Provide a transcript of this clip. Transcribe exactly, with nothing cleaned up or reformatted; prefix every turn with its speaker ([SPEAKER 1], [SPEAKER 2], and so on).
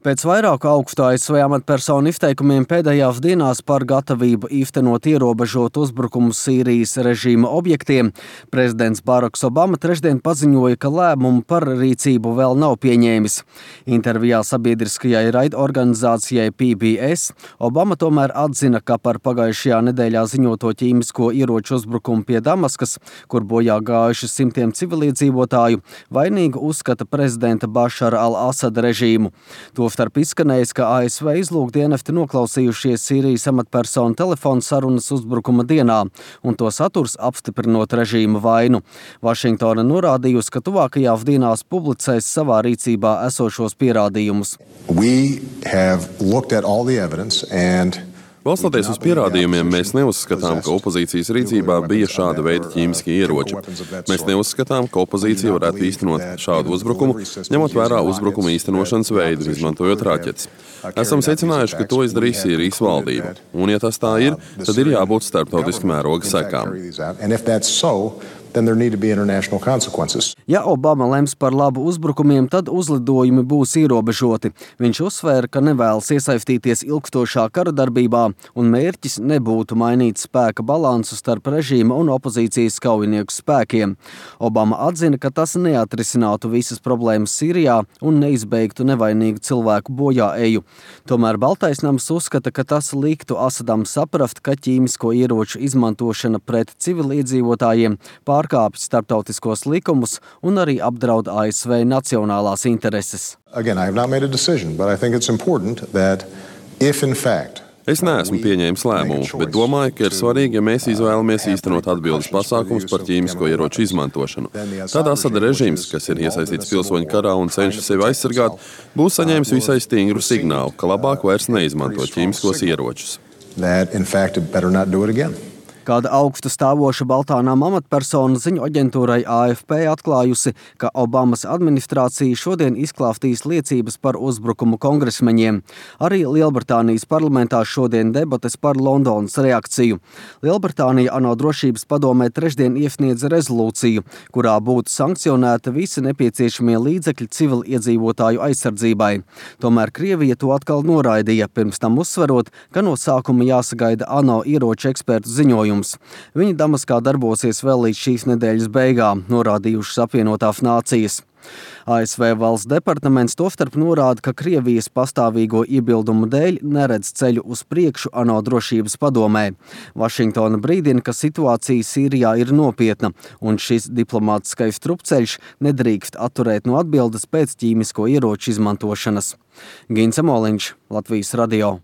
[SPEAKER 1] Pēc vairāku augstu A S V amatpersonu izteikumiem pēdējās dienās par gatavību īstenot ierobežot uzbrukumu Sīrijas režīma objektiem, prezidents Baraks Obama trešdien paziņoja, ka lēmumu par rīcību vēl nav pieņēmis. Intervijā sabiedriskajai raidorganizācijai P B S Obama tomēr atzina, ka par pagājušajā nedēļā ziņoto ķīmisko ieroču uzbrukumu pie Damaskas, kur bojā gājuši simtiem civiliedzīvotāju, vainīgu uzskata prezidenta Bašara al-Asada režīmu. Tostarp izskanējis, ka A S V izlūkdienesti noklausījušies Sīrijas amatpersonu telefonu sarunas uzbrukuma dienā, un to saturs apstiprinot režīma vainu. Vašingtona norādījusi, ka tuvākajās dienās publicēs savā rīcībā esošos pierādījumus.
[SPEAKER 2] We have looked at all the evidence and
[SPEAKER 3] Balstoties uz pierādījumiem, mēs neuzskatām, ka opozīcijas rīcībā bija šāda veida ķīmiskie ieroči. Mēs neuzskatām, ka opozīcija varētu īstenot šādu uzbrukumu, ņemot vērā uzbrukuma īstenošanas veidu, izmantojot raķetes. Esam secinājuši, ka to izdarīs Sīrijas valdība. Un, ja tas tā ir, tad ir jābūt starptautiski mēroga sekām.
[SPEAKER 1] Ja Obama lems par labu uzbrukumiem, tad uzlidojumi būs ierobežoti. Viņš uzsvēra, ka nevēlas iesaistīties ilgstošā kara darbībā, un mērķis nebūtu mainīt spēka balansu starp režīma un opozīcijas kaujinieku spēkiem. Obama atzina, ka tas neatrisinātu visas problēmas Sīrijā un neizbeigtu nevainīgu cilvēku bojāeju. Tomēr Baltais nams uzskata, ka tas liktu Asadam saprast, ka ķīmisko ieroču izmantošana pret civiliedzīvotājiem pārkāpj starptautiskos likumus un arī apdraud A S V nacionālās intereses.
[SPEAKER 2] Again, I have not made a decision, but I think it's important that if in fact
[SPEAKER 3] Es neesmu pieņēmis lēmumu, bet domāju, ka ir svarīgi, ja mēs izvēlamies īstenot atbildes pasākumus par ķīmisko ieroču izmantošanu. Tad Asada režīms, kas ir iesaistīts pilsoņu karā un cenšas sevi aizsargāt, būs saņēmis visai stingru signālu, ka labāk vairs neizmantot ķīmiskos ieročus.
[SPEAKER 2] that in fact it better not do it again.
[SPEAKER 1] Kāda augstu stāvoša Baltānām amatpersona ziņu aģentūrai A F P atklājusi, ka Obamas administrācija šodien izklāstīs liecības par uzbrukumu kongresmeņiem. Arī Lielbritānijas parlamentā šodien debates par Londonas reakciju. Lielbritānija ANO drošības padomē trešdien iesniedz rezolūciju, kurā būtu sankcionēta visi nepieciešamie līdzekļi civiliedzīvotāju aizsardzībai. Tomēr Krievija to atkal noraidīja, pirms tam uzsverot, ka no sākuma jāsagaida ANO ieroču ekspertu ziņojums. Viņi Damaskā darbosies vēl līdz šīs nedēļas beigām, norādījušas apvienotās nācijas. A S V valsts departaments tostarp norāda, ka Krievijas pastāvīgo iebildumu dēļ neredz ceļu uz priekšu ANO drošības padomē. Vašingtona brīdina, ka situācija Sīrijā ir nopietna, un šis diplomātiskais strupceļš nedrīkst atturēt no atbildes pēc ķīmisko ieroču izmantošanas. Gins Emoliņš, Latvijas radio.